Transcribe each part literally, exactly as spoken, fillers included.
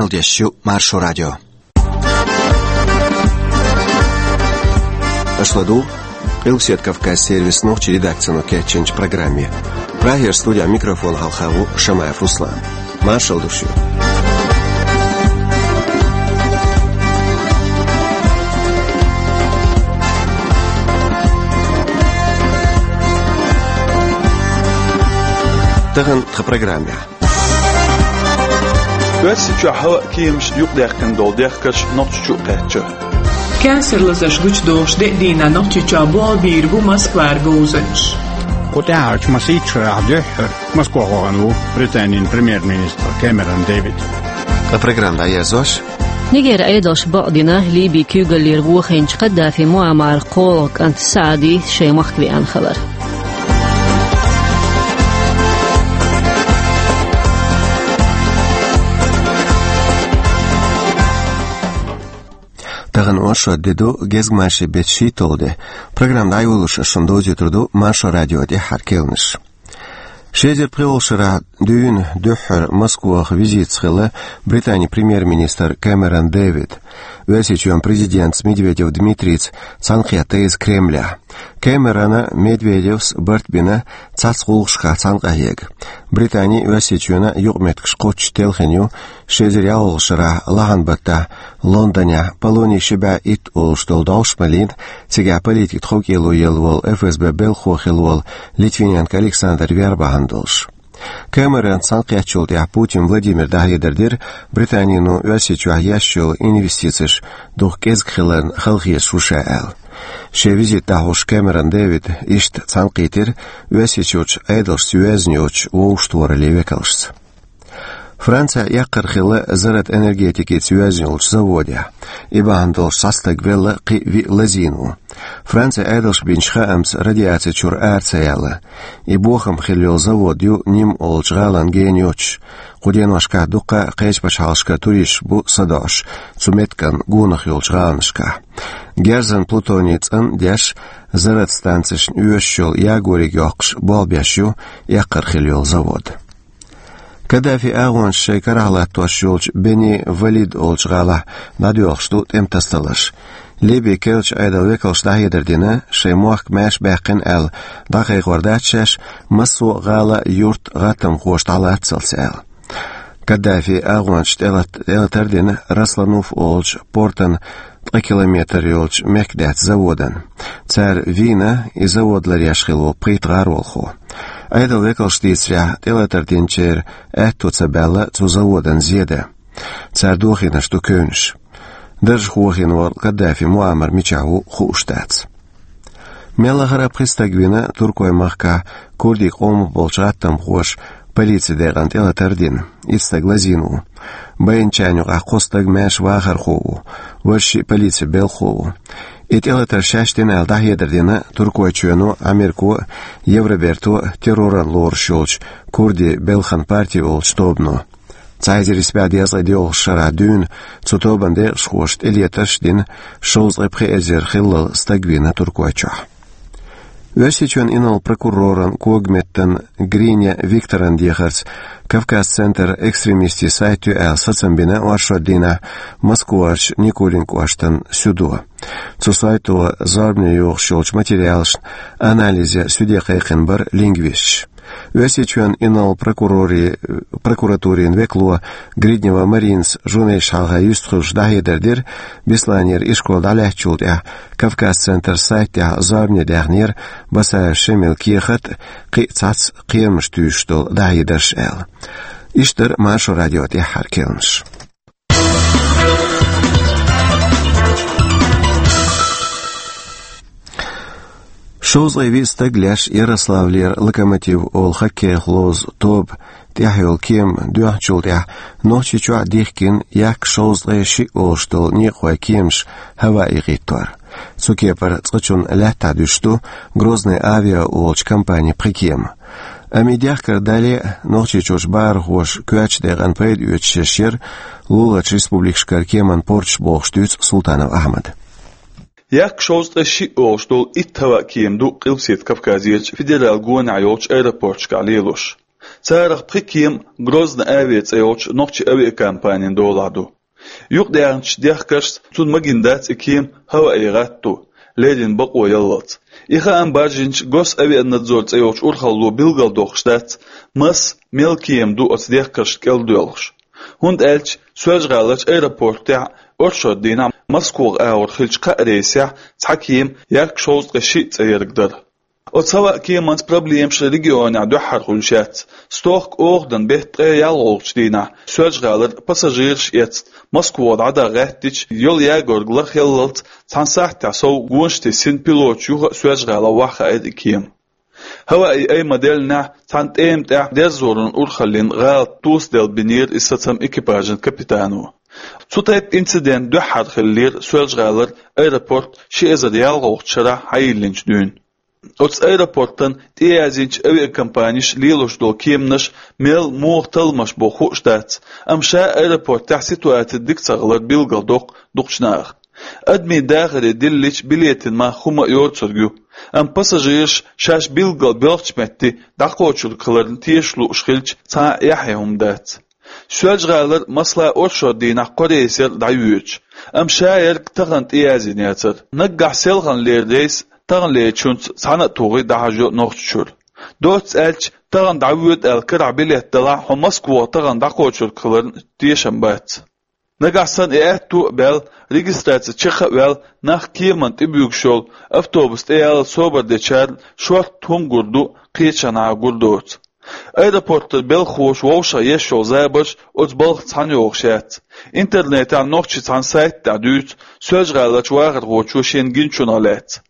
Дешю Маршо радио. Аша ладугӀу Къилбаседа Кавказ сервисан нохчийн редакцино кечйинчу программе. Прагера студехь микрофон хьалха ву Шамаев Руслан. Маршалла ду шуьга. Тахана тхан программехь. Оьрсийчохь хӀаваан кеманаш юкъадаьккхина долу дехкарш Нохчийчу а кхаьчна. Кенсар лазарш гучудолуш деа дийнахь Нохчийчохь болх бийр бу Москвара говзанчаш. Кху тӀаьхьарчу масийтта шарахь дуьххьара Москва вахана ву Британин премьер-министр Кэмерон Дэвид. Ткъа программа дӀаерзош. Нигеран Ӏедалша бакъдина Ливин куьйгаллера вохийначу Каддафи Муаммаран кхоалгӀа кӀант Саади шайн махка веана хилар. Тахана оршот де ду, гезгмашин беттан шийтталгӀа де. Программа дӀайолош ас шуна довзуьйтур ду Маршо радион тӀаьххьара керланаш. Ши эзар пхоьалгӀачу шарахь дуьйна дуьххьара Москвахь визитца хилла Британин премьер-министр Кэмерон Дэвид. Оьрсийчоьнан президентаца Медведев Дмитрийца цхьаьнакхетта иза Кремлехь. Кэмерона Медведевс барт бина цхьацца гӀуллакхашкахь цхьаьна къахьега. Британин а, Оьрсийчоьнан а юкъаметтигаш кхоччуш телхина ю ши эзар ялхалгӀачу шарахь лахьан баттахь Лондонехь Полоний ши бӀе итт олуш долу дӀовш малийна, цигахь политикан тховкӀело елла волу ФСБ белхахо хилла волу Литвиненко Александр вер бахьана долуш. Кэмеронца цхьаьнакхеттачул тӀаьхьа Путин Владимира дӀахьедар дира, Британино Оьрсийчохь еш йолу инвестицеш дукха кӀезиг хиларна халахеташ ву ша аьлла. Шен визит дӀахьош Кэмерон Дэвид иштта цхьаьнакхийтира Оьрсийчуьрчу Ӏедалшца йоьзна йоцучу вовшахтохараллин векалшца. Францехь эккхар хилла заррат энергетикица йоьзна йолчу заводехь. И бахьана долуш цхьа стаг велла, кхин виъ лазийна ву. Францин Ӏедалша бинчу хаамца радиаци чуьра ара ца яьлла. И бохам хилла йолу завод ю Ним олучу гӀалин гена йоцуш. Кху деношкахь дуккха а кхечу пачхьалкхашкара туристаш бу садоӀуш цу меттиган гонах йолчу гӀаланашкахь. Герзан плутоний цӀан а деш, заррат станцешна оьшуш йолу ягориг йоккхуш болх беш ю эккхар хилла йолу завод. Каддафин агӀончаш шайн карахь латтош йолчу Бени Валид олучу гӀалахь дӀадоьлхуш ду тӀеман тасадаларш. Ливин керлачу Ӏедалан векалша дӀахьедар дина, шайн мохк маьрша баьккхина аьлла, дӀакхайкхор дац шаьш, массо а гӀала а, юрт а гӀаттамхоша дӀалаццалц аьлла. Каддафин агӀончаша тӀелат-, тӀелатар дина Раслануф олучу портан ткъа километр йолчу мехкадаьтта заводана. Цара вийна и завод ларъеш хилла волу пхийтта гӀаролхо. Ӏедалан векалша дийцарехь, тӀелатар динчеран аьтто ца баьлла цу заводана зе дан. Цара дохийнарш ду кевнаш. Даржехь вохийна волу Каддафи Муаммар мичахь ву хууш дац. Мел лахара а пхи стаг вина Туркойн махкахь курдийн къомах болчу гӀаттамхоша полицин декъана тӀелатар дина. Итт стаг лазийна ву. Байначарна юкъахь кхо стаг маьрша вахархо ву, важа шиъ полицин белхахо ву. И тӀелатар шаьш дина аьлла дӀахьедар дина Туркойчоьно а, Америко а, Евроберто а терроран лоруш йолчу курдийн белхан парти олучу тобано. Цхьа эзар исс бӀе дезткъе доьалгӀачу шарахь дуьйна цу тобанан декъашхоша тӀелетарш а дина, шовзткъе пхи эзар хиллал стаг вийна Туркойчохь. Оьрсийчоьнан инарла прокуроран когаметтан Гриня Викторан дехарца, Кавказ-Центр экстремистийн сайт ю аьлла сацам бина оршот дийнахь Москварчу Никулин кӀоштан СЮДО. Цу сайто зорбане йохуш йолчу материалашна анализ ян СЮДОе кхайкхина бара лингвисташ. Оьрсийчоьнан инарла прокурори-, прокуратурин векало Гриднева Маринас журналисташна хьалха юьстахуьлуш дӀахьедар дира, Бесланера ишкол дӀалаьцначул тӀаьхьа Кавказ-Центр сайтехь зорбане даьхнера Басаев Шемалан кехат а, кхин а цхьацца кхерамаш туьйсуш долу дӀахьедарш аьлла. Иштта дара Маршо радион тӀаьххьара керланаш. Шовзткъе виъ стаг леш Ярославлера «Локомотив» олу хоккейх ловзу тоба тӀехь йолу кема доьхначул тӀаьхьа Нохчийчохь а дихкина яккха шовзткъе шиъ олуш долу некъахойн кеманаш хӀаваан хӀиттор. Цу кепара цкъачунна лаьттахь дуьсуш ду «Грозный авиа» олучу компанин пхи кема. Амма и дехкар дале а, Нохчийчуьрчу бахархоша коьртачу декъана пайда оьцуш еш яра луларчу республикашкара кеманан порташ бохуш дуьйцу Султанов Ахьмада. Яккха шовзткъе шиъ олуш долу итт хӀаваан кема ду Къилбаседа Кавказерчу федералан гонахь йолчу аэропорташкахь лелош. Царах пхи кема Грозный Авиа цӀе йолчу нохчийн авиакомпанин долахь ду. Юкъадаьхначу дехкашца, цунна магийна дац и кема ХӀаваи гӀатто, леррина бакъо яллалц. И хаам баржийначу Госавианадзор цӀе йолчу урхалло билгалдоккхуш дац, масса, мел кема ду оцу дехкашна кӀел доьлхуш. ХӀунда аьлча Соьлжа-ГӀаларчу аэропортехь оршот дийнахь Москвах агӀор хиллачу кхаа рейсехь цхьа кема ярк шовзткъе шиъ цӀе ерг дара. Оцу ХӀаваи кеманца проблемаш регионехь дуьххьара хуьлуш яц. Стохка оханан беттан ткъе ялхалгӀачу дийнахь Соьлжа-ГӀалара пассажираш эцна Москвах дӀадаха гӀаьттича, йолу ягорг лархъяллалц цхьана сахьтехь сов гонаш тесна пилоташа юха а Соьлжа-ГӀалахь ваххаийра и кема. ХӀаваи айма деллинехь, цхьана тӀема тӀехь дерзоран урхаллин гӀалат тосаделла бинера и сацам экипажан капитано. Цу тайпа инцидент дуьххьара хиллера Соьлжа-ГӀалара аэропорт ши эзар ялхалгӀачу шарахь хьайиллинчу дуьйна. Оцу аэропортана тӀеязйинчу авиакомпанеш лелош долу кеманаш мел муха талламаш бу хууш дац, амма ша аэропортехь ситуаци дика ца хилар билгалдоккху дукхачу наха. Адамийн дахаре диллича билетийн мах хӀума а йоцург ю, амма пассажираш шаьш билггал боьлхучу метте дӀакхочург хиларна тешаш лууш хилча, цхьа а эхье хӀума дац. Соьлжа-ГӀалара, масала, оршот дийнахь кхо рейс яра дӀайоьдуш, амма ша ерг тахана тӀеязйина яцара. Наггахь селхана лерина рейс таханлерчуьнца цхьаьна а тухий дӀахьажайо Нохчийчуьра. Доцца аьлча, тахана дӀавоьду аьлла карахь билет далахь, хьо Москвах тахана дӀакхочург хиларна тешам бац. Нагахь санна и аьтто а баьлла, регистраци чекх а ваьлла, нах кеманна тӀебуьгуш йолу автобус тӀе ялла собар дечарна шортта хӀума гур ду, кхечанхьа гур доцу. Аэропортан белхахоша вовшах еш йолу забарш оцу балха цхьаьна йогӀуш яц. Интернетехь нохчийн цхьана сайта тӀехь дуьйцу Соьлжа-ГӀаларчу вахархочо шена гиначунах лаьцна.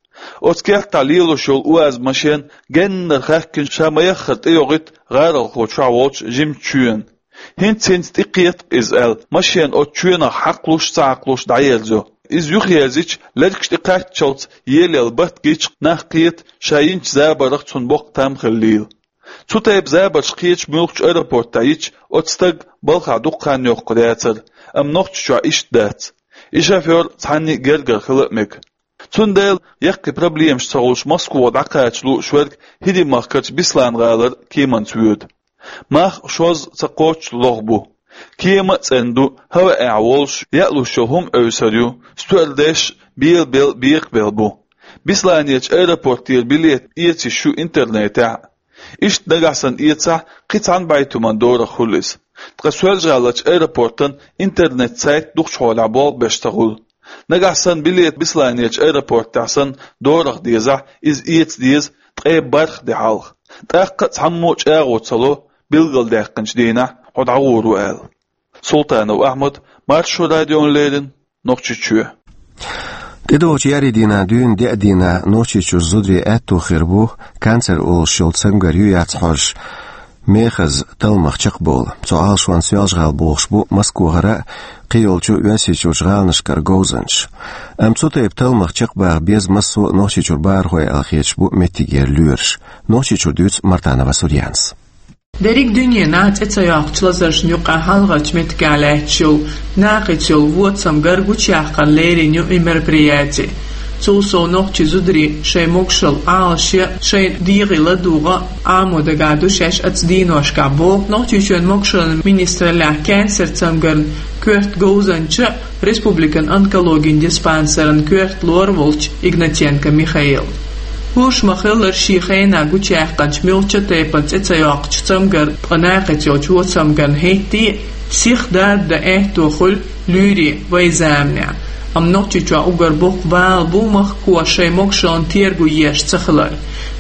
Оцу кертахь лелош йолу УАЗ машен геннара хаьхкина ша ма-яххара тӀейогӀуьйту гӀаролхо чохь волчу жимачу чоьнан. ХӀинца-хӀинца тӀекхетакх иза аьлла, машен оцу чоьнах хьакхалуш а, ца хьакхалуш а дӀаерзайо. Иза юхаерзича, лергаш тӀекхаччалц елаелла батт гича, нах кхета ша йинчу забарах цунна боккха там хиллийла. Цу тайпа забарш кхечу муьлххачу аэропортехь йича, оцу стага балхахь дукха хан йоккхур яцара, амма Нохчийчохь иштта дац. И шофёр цхьанна а гергара хила а мега. Цундела, яккхий проблемаш ца хуьлуш, Москвах дӀакхача лууш верг ХӀирийн махкарчу Беслан-гӀалара кеманца воьду. Мах шозза ца кхоччуш лоха бу. Кема а цӀена ду, ХӀаваэхь волуш яа луш йолу хӀума Ӏевсар ю, стоьардеш а белабелла, бекхабелла бу. Бесланерчу аэропортера билет эца йиш ю интернетехь а. Иштта нагахь санна эцахь, кхин цхьана бӀе туман дорах хуьлу иза. Ткъа Соьлжа-ГӀаларчу аэропортан интернет-сайт дукхачу хьолехь болх беш ца хуьлу. Нагахь санна билет Бесланерчу аэропортехь санна дорах дезахь, иза эца деза ткъе бархӀ де хьалха. ТӀаккха а цхьаммо а чӀагӀо ца ло, билгалдаьккхинчу дийнахь хьо дӀагӀур ву аьлла. Султанов Ахьмад, Маршо радиона леррина, Нохчийчоь. ТӀедогӀучу еарин дийнахь дуьйна деа дийнахь Нохчийчуьра зударийн аьтто хир бу канцер олуш йолу цамгар ю-яц хьожуш, мехаза талламах чекхбовла. Цу Ӏалашонна Соьлжа-ГӀала богӀуш бу Москвахара а, кхийолчу Оьрсийчуьрчу гӀаланашкара говзанчаш. Амма цу тайпа талламах чекхбаха беза массо а Нохчийчуьра бахархой аьлла хеташ бу меттигера лоьраш. Нохчийчуьра дуьйцу Мартанова Сурьянас. Дерриг дуьненахь цӀе ца йоккхучу лазаршна юкъахь хьалхарчу меттигехь лаьтташ йолу накхица йолу вон цамгар гучуяккхарна леррина ю и мероприяти. Цул сов, нохчийн зударий шайн могушалла Ӏалашъян, шайн дегӀан ладугӀан Ӏамо дагахь ду шаьш оцу дийношкахь, боху Нохчийчоьнан могушаллин министраллехь кенсар цамгарна коьрта говзанча, республикан онкологин диспансеран коьрта лор волчу Игнатенко Михаила. ХӀорш ма-хиллара, шен хенахь гучуяьккхинчу муьлххачу тайпана цӀе ца йоккхучу цамгарна, ткъа накхица йолчу вон цамгарна хӀетте а сиха дарба дан аьтто хуьлу луьйрийн вайн заманахь. Амма Нохчийчохь уггар боккха бала бу махкахоша шайн могушаллина терго еш ца хилар.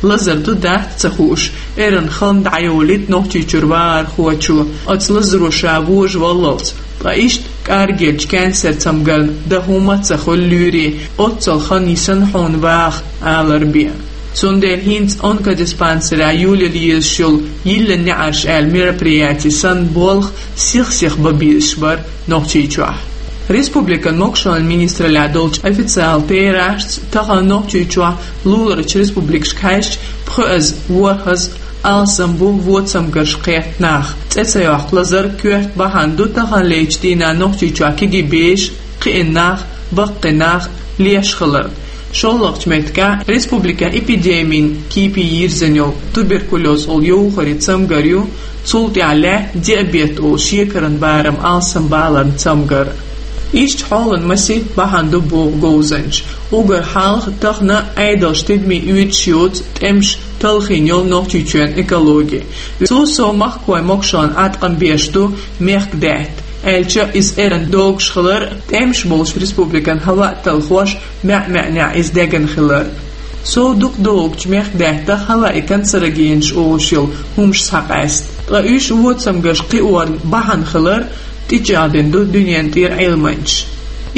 Лазар ду-дац ца хууш, эрна хан дӀайолуьйту Нохчийчуьра вахархочо, оцу лазаро ша вожаваллалц. Ткъа иштта кӀаргеллачу кенсар цамгарна дан хӀума а ца хуьлу луьйрийн, оццул хан йисна хьуна ваха, алар бен. Цундела хӀинца онкодиспансерехь йолаелла езаш йолу «Йиллина неӀарш» аьлла мероприяти санна болх сих-сиха бан безаш бара Нохчийчохь. Республикан могушаллин министраллехь долчу официалан терахьашца, тахана Нохчийчохь луларчу республикашка хьаьжча пхоьазза, ворхӀазза алсам бу вон цамгарш кхетта нах. ЦӀе ца йоккху лазар коьрта бахьана ду таханлерчу дийнахь Нохчийчохь кегий бешан, кхиъна нах, баккхий нах леш хилар. ШоллагӀча меттигехь республикехь эпидемин кепе йирзина йолу туберкулез олу йовхаре цамгар ю, цул тӀаьхьа лаьтта диабет олу шекаран барам алсам баларна цамгар. Иштта хьолан маси бахьана ду боху говзанчаша. Уггар хьалха тахана Ӏедалша тидаме оьцуш йоцу тӀемаш талхийна йолу Нохчийчоьнан экологи. Цул сов махкахой могашаллина Ӏаткъам беш ду мехкдаьтта, аьлча иза эрна догуш хилар, тӀемаш болчу республикан хӀаваъ талхош маьӀ-маьӀнехь иза дегна хилар. Сов дукха догучу мехкдаьттах хӀаваъ и канцерогенаш олуш йолу хӀумаш схьакъаьста. Ткъа уьш воцамгарш кхиорна бахьана хилар тӀечӀагӀдина ду дуьненан тӀера Ӏилманчаша.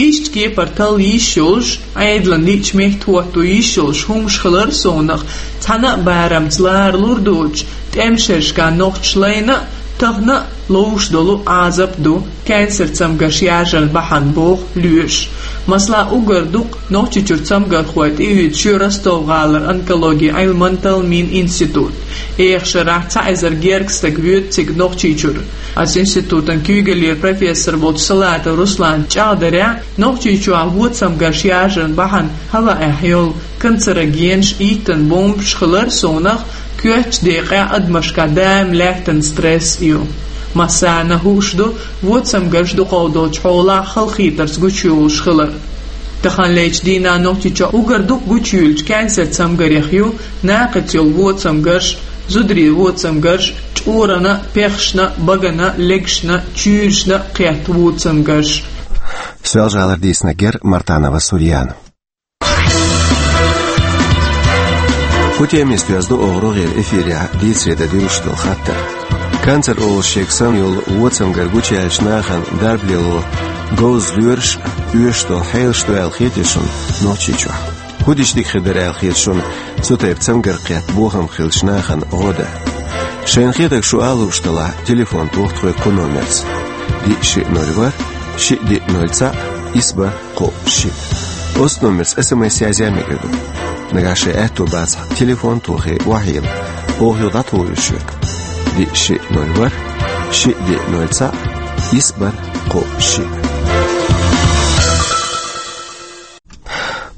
Иштта кепара талла йиш йолуш, Ӏедална лиъча метта хӀотто йиш йолуш хӀумаш хилар совнах, цхьана а барамца лара лур доцуш, тӀеман шерашкахь нохчаша лайна а, тахана а ловш долу Ӏазап ду, кансер цамгарш яржарна бахьана боху лоьраша. Масала, уггар дукха Нохчийчуьра цамгархой тӀеоьцуш ю Ростов-гӀалара онкологин Ӏилман талламийн институт. Эха шарахь цхьа эзар гергга стаг воьду цига Нохчийчуьра. Оцу институтан куьйгаллера профессор волчу Салатов Руслана чӀагӀдарехь, Нохчийчохь воцамгарш яржарна бахьана хӀаваъехь йолу канцерогенаш, йиттан бомбаш хилар совнах, коьртачу декъехь адамашкахь даим лаьттан стресс ю. Массарна а хууш ду воцамгарш дукхах долчу хьолахь халахетарца гучуйолуш хилар. Таханлерчу дийнахь Нохчийчохь уггар дукха гучуйуьллучу кансер цамгарех ю накхаца йолу воцамгарш, зударийн воцамгарш, чкъурана, пехашна, багана, легашна, чуьйрашна кхетта воцамгарш. Соьлжа-ГӀалара дийцинарг яра Мартанова Сурьяна. Кху темист веза ду оха рогӀера эфирехь дийцаре дан дуьллуш долу хаттар. Канцер олуш шега санна йолу воцамгар гучуяьллачу нахана дарба лело говза лоьраш а, оьшуш долу хьелаш ду аьлла хетий шуна Нохчийчохь? ХӀун дича дика хир дара аьлла хета шуна цу тайпа цамгар кхетта бохам хиллачу нахана гӀо дан? Шайна хетарг шу ала лууш делахь, телефон тоха тхоьга кху номерца: диъ шиъ ноль ворхӀ, шиъ диъ ноль цхьаъ, исс бархӀ кхоъ шиъ. Оцу номерца СМС язъян мегар ду. Нагахь шайн аьтто бацахь, телефон тохий охьайилла, оха юха дӀатухур ю шуьга. Диъ шиъ ноль ворхӀ, шиъ диъ ноль цхьаъ, исс бархӀ кхоъ шиъ.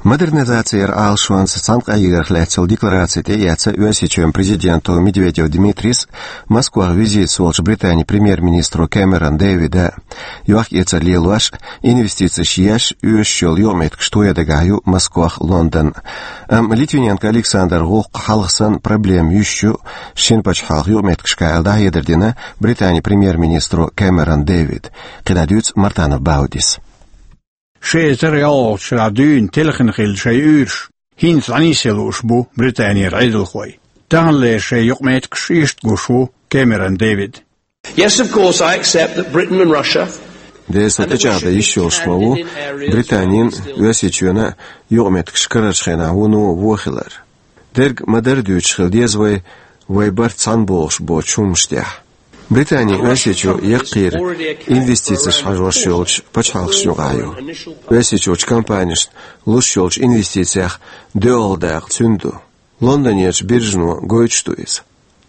Модернизацин Ӏалашонца цхьаьнакъахьегарх лаьцна йолу деклараци тӀеэцна Оьрсийчоьнан президенто Медведев Дмитрийс Москвахь визитаца волчу Британин премьер-министро Кэмерон Дэвида. Йохк-эцар лелош, инвестицеш еш, оьшуш йолу юкъаметтигаш тоян дагахь ю Москвах Лондон. Амма Литвиненко Александр гӀуллакх хьалха санна проблема юьсуш ю, шина пачхьалкхан юкъаметтигашка аьлла дӀахьедар дина Британин премьер-министро Кэмерон Дэвида. КхидӀа дуьйцу Мартанов Баудис. Ши эзар ялхалгӀачу шарахь дуьйна телхина хилла шайн уьйраш хӀинца дӀанисъян лууш бу Британера Ӏедалхой. Таханлера шайн юкъаметтигаш иштта гуш ву Кэмерон Дэвида. Yes, of course, I accept that Britain and Russia Дера, со тӀечӀагӀдан йиш йолуш ма ву Британин а, Оьрсийчоьнан а юкъаметтигаш карарчу хенахь вуно вон хилар. Дерг ма-дарра дуьйцуш хила деза вай, вай барт цхьаьна богӀуш боцучу хӀуманаш тӀехь. Британи Оьрсийчу яккхийра инвестицеш хьажош йолчу пачхьалкхашна юкъахь ю. Оьрсийчуьрчу компанешна луш йолчу инвестицех доьалгӀа дакъа цуьнан ду. Лондонерчу биржано гойтуш ду иза.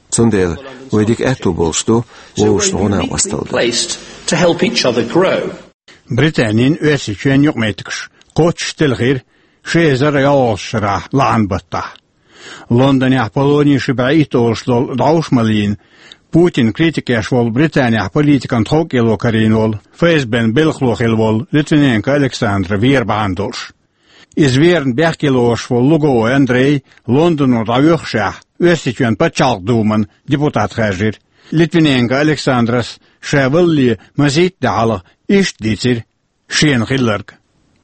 Цундела вай дика аьтто болуш ду вовшашна гӀо-накъосталла дан. Placed to help each other grow. Британин а, Оьрсийчоьнан а юкъаметтигаш кхоччуш телхира ши эзар ялхалгӀачу шарахь лахьан баттахь. Лондонехь полони ши бӀе итт олуш долу дӀовш ма лийна, Путинан критика еш волу, Британехь политикан тховкӀело карийна волу, ФСБ-н белхало хилла волу Литвиненко Александр вер бахьана долуш. Иза верна бехке лоруш волу Луговой Андрей Лондоно дӀавоьхушехь, Оьрсийчоьнан пачхьалкхан думан депутат хаьржира. Литвиненко Александрас ша валале мазийттӀа де хьалха иштта дийцира шена хилларг.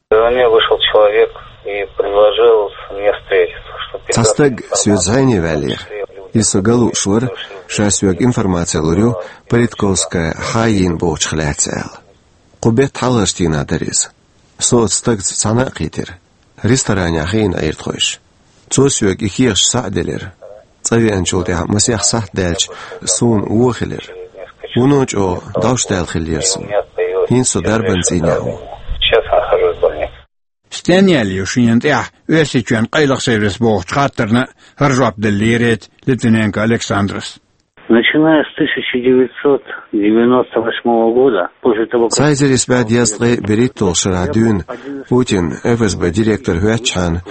Ко мне вышел человек и предложил мне встретиться, что Цхьа стаг соьца зӀене ваьллера. Иза со ган лууш вара, ша соьга информаци лур ю политиковская хьайийна бохучух лаьцна аьлла. Кху беттан хьалхарчу дийнахь дара иза. Со оцу стагца цхьаьна а кхийтира. Ресторанехь хиъна Ӏийра тхойша. Цо соьга и кехаташ схьа а делира. ЦӀа веанчул тӀаьхьа масех сахьт даьлча, суна вон хилира. Вуно чӀогӀа дӀовш даьлла хиллера суна. ХӀинца со дарбан цӀийнехь ву. Сейчас я нахожусь в больнице. Стенна яьлла ю шена тӀехь Оьрсийчоьнан къайлаха сервис бохучу хаттарна а хӀара жоп делла лерина Литвиненко Александрас. Начиная с тысяча девятьсот девяносто восьмого года, после того, как Цхьа эзар исс бӀе дезткъе берхӀитталгӀа шарахь дуьйна Путин ФСБ директор хӀоьттичхьана,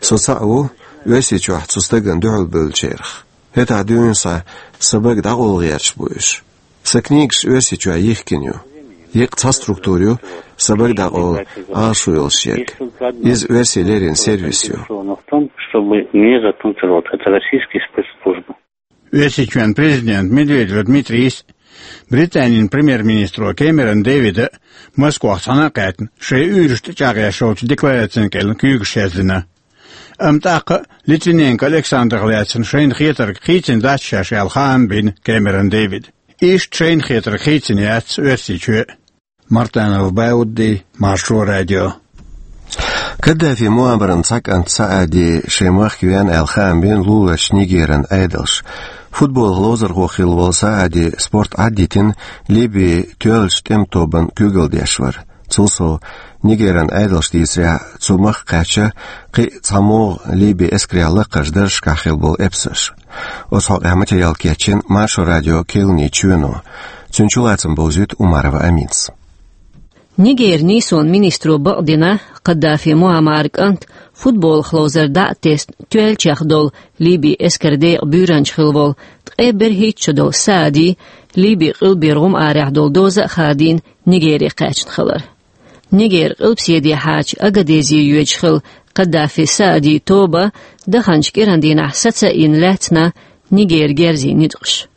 Со цаӀ ву Оьрсийчохь цу стагана дуьхьал бевллачарах. ХӀетахь дуьйна схьа сан бага дӀакъовла гӀерташ бу уьш. Сан книгаш Оьрсийчохь йихкина ю. Еккъа цхьа структура ю сан бага дӀакъовла Ӏалашо йолуш ерг. Иза оьрсийн леррина сервис ю. Оьрсийчоьнан президента Медведев Дмитрийс а, Британин премьер-министро Кэмерон Дэвида а Москвахь цхьаьна а кхаьчна, шайн уьйраш тӀечӀагӀъеш йолчу декларацийн кӀел куьйгаш яздина. Амма тӀаккха а Литвиненко Александрах лаьцна шайна хетарг хийцина дац шаьш аьлла хаам бина Кэмерон Дэвида. Иштта шайна хетарг хийцина яц Оьрсийчоь а. Мартанов Баудди, Маршо радио. Каддафи Муаммаран цхьа кӀант Саади шайн махка веана аьлла хаам бина луларчу Нигеран Ӏедалша. Футболах ловзархо хилла волу Саади спорт Ӏаддитина Ливин тоьллачу тӀеман тобанна куьйгалла деш вара. Цул сов, Нигеран Ӏедалша дийцарехь, цу махка кхаьчна кхин а цхьамогӀа Ливин эскарехь лакхарчу даржашкахь хилла болу эпсарш. Оцу хьокъехь материал кечйина Маршо радион кхаьллачу чоьно. Цуьнан чулацам бовзуьйту Умарова Аминас. Нигеран нийсонан министро бакъдина, Каддафи Муаммаран кӀант футболах ловзар дӀа а тесна, тоьллачех долу Ливин эскаран декъан буьйранча хилла волу ткъе берхӀитта шо долу Саади Ливин къилбера гӀум арахь долу доза а хадийна, Нигере кхаьчна хилар. Нигеран къилбаседехьачу Агадезе йоьдуш хилла Каддафин Саадин тоба даханчу кӀиран дийнахь саца а йина лаьцна Нигеран герзийн ницкъаша.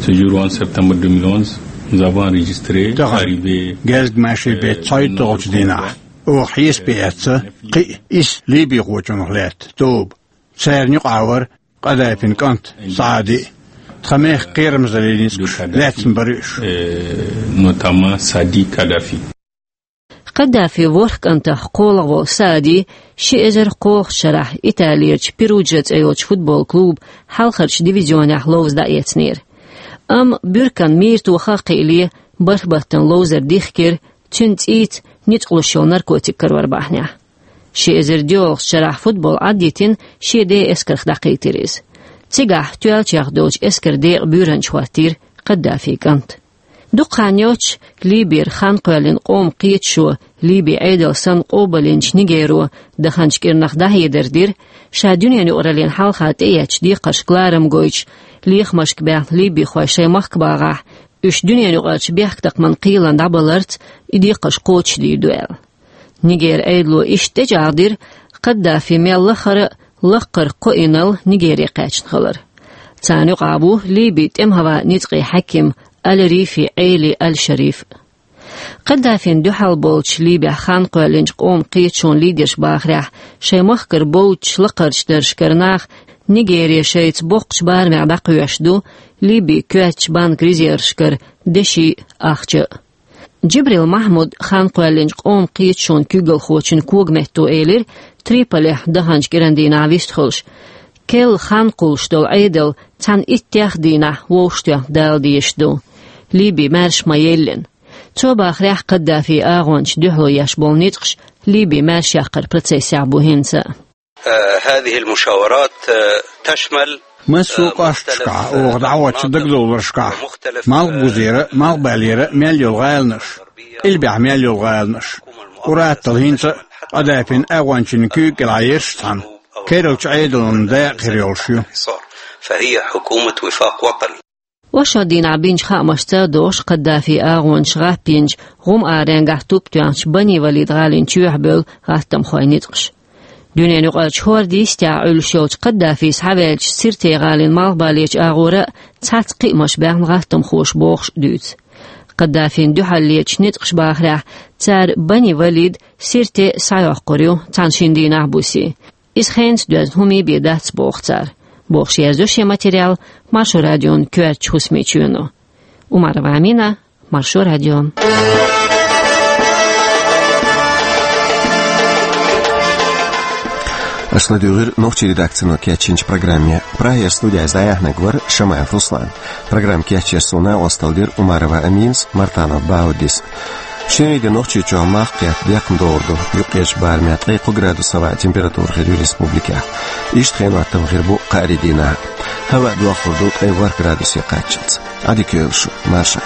Ce jour onze septembre deux mille onze, nous avons enregistré Тахана герзиг машин беттан цхьайтталгӀачу дийнахь оха хьесапе эцна кхин а исс ливихочух лаьтта тоба. Царна юкъахь вара Каддафин кӀант Саади а. Тхан мехкан кхерамзаллин ницкъаша лаьцна бара уьш. Notamment Sadi Kadhafi. Каддафин ворхӀ кӀантах кхоалгӀа волу Саади ши эзар кхоалгӀачу шарахь Италерчу Перуджа цӀе йолчу футбол клубан хьалхарчу дивизионехь ловза дӀаэцнера. Амма буьрканан мийра тоха а кхиале, бархӀ баттана ловзар дихкира, цуьнан цӀийца ницкъ луш йолу наркотик карор бахьанехь. Ши эзар доьалгӀачу шарахь футбол Ӏаддитина шен ден эскарх дӀакхийтира иза. Цигахь тоьллачех долчу эскаран декъан буьйранча хӀоттийра Каддафин кӀант. Дукха хан йоццуш Ливера хан кхоьллина къоман кхеташо, Ливин Ӏедал санна къобалйинчу Нигеро даханчу кӀирнах дӀахьедар дира, ша дуьненан юкъараллина хьалха тӀеэцначу декхаршка ларам гойтуш, лехамашка баьхна ливихой шайн махка багӀахь, уьш дуьненан юкъарчу бехктакхаман кхелана дӀабаларца и декхарш кхочушдийр ду аьлла. Нигеран Ӏедало иштта тӀечӀагӀдира Каддафи мел лахара а лаккхара кхоъ йинарг Нигере кхаьчна хилар. Царна юкъахь ву Ливин тӀеман-хӀаваан ницкъийн хьаьким Аль-Рифи Ӏели Аль-Шариф. Каддафина дуьхьал болчу Ливехь хан кхоьллинчу къоман кхеташонан лидерша бахарехь, шайн махкара боцучу лакхарчу даржашкара нах Нигере шайца боккхачу барамехь дӀакхоьхьуш ду, Ливин коьртачу банкан резервашкара деши а, ахча а. Джибрил Махьмуда, хан кхоьллинчу къоман кхеташонан куьйгалхочун когаметто, элира Триполехь даханчу кӀиран дийнахь вистхуьлуш: керла хан кхуллуш долу Ӏедал цхьана иттех а дийнахь вовшахтоьхна дала дезаш ду, Ливи маьрша ма-еллина. Цо бахарехь, Каддафин агӀончашна дуьхьало еш болу ницкъаш Ливи маьршаяккхаран процессехь бу хӀинца а. هذه المشاورات تشمل Массо а кӀошташкахь, оха дӀахьочу дагадовларшкахь, Малхбузера а, Малхбалера а мел йолу гӀаланаш, къилбехь мел йолу гӀаланаш. Ур-атталла хӀинца а Каддафин агӀончийн куьйга кӀелхьарш цхьана кералчу Ӏедалан дакъа хир йолуш ю. فهي حكومة وفاق وطني. Ошшо дийнахь бинчу хаамашца а догӀуш, Каддафин агӀончаша гӀаппийначу гӀум-аренгахь туп тоьхначу Бани Валид гӀалин чоьхьа бевлла гӀаттамхойн ницкъаш. Дуьненан юкъарчу хӀордан йистехь Ӏуьллуш йолчу Каддафис схьаваьллачу Сиртин гӀалин малхбалерчу агӀора а цхьацца кхиамаш баьхна гӀаттамхоша бохуш а дуьйцу. Каддафина дуьхьал лецначу ницкъаша бахарехь, цара Бани Валид, Сирте схьайоккхур ю цхьана-шина дийнахь-бусе. Иза хенца доьзна хӀума бен дац, боху цара. Бохуш яздо шен материал Маршо радион коьртачу хӀусамийн чоьно. Умарова Амина, Маршо радио. Аша ладуьйгӀира нохчийн редакцино кечйинчу программе. Прагера студехь дӀаяьхьнарг вара Шамаев Руслан. Программа кечъеш суна накъосталла дира Умарова Аминас, Мартанов Бауддис. Шинарин де Нохчийчохь малх кхетта декхна догӀур ду, юккъерчу барамехь ткъе кхо градус хӀаваан температура хир ю республикехь. Иштта хенан хӀоттам хир бу кхаарин дийнахь. ХӀаваъ дохлур ду ткъе ворхӀ градусе кхаччалц. Ӏадика йойла шу, марша.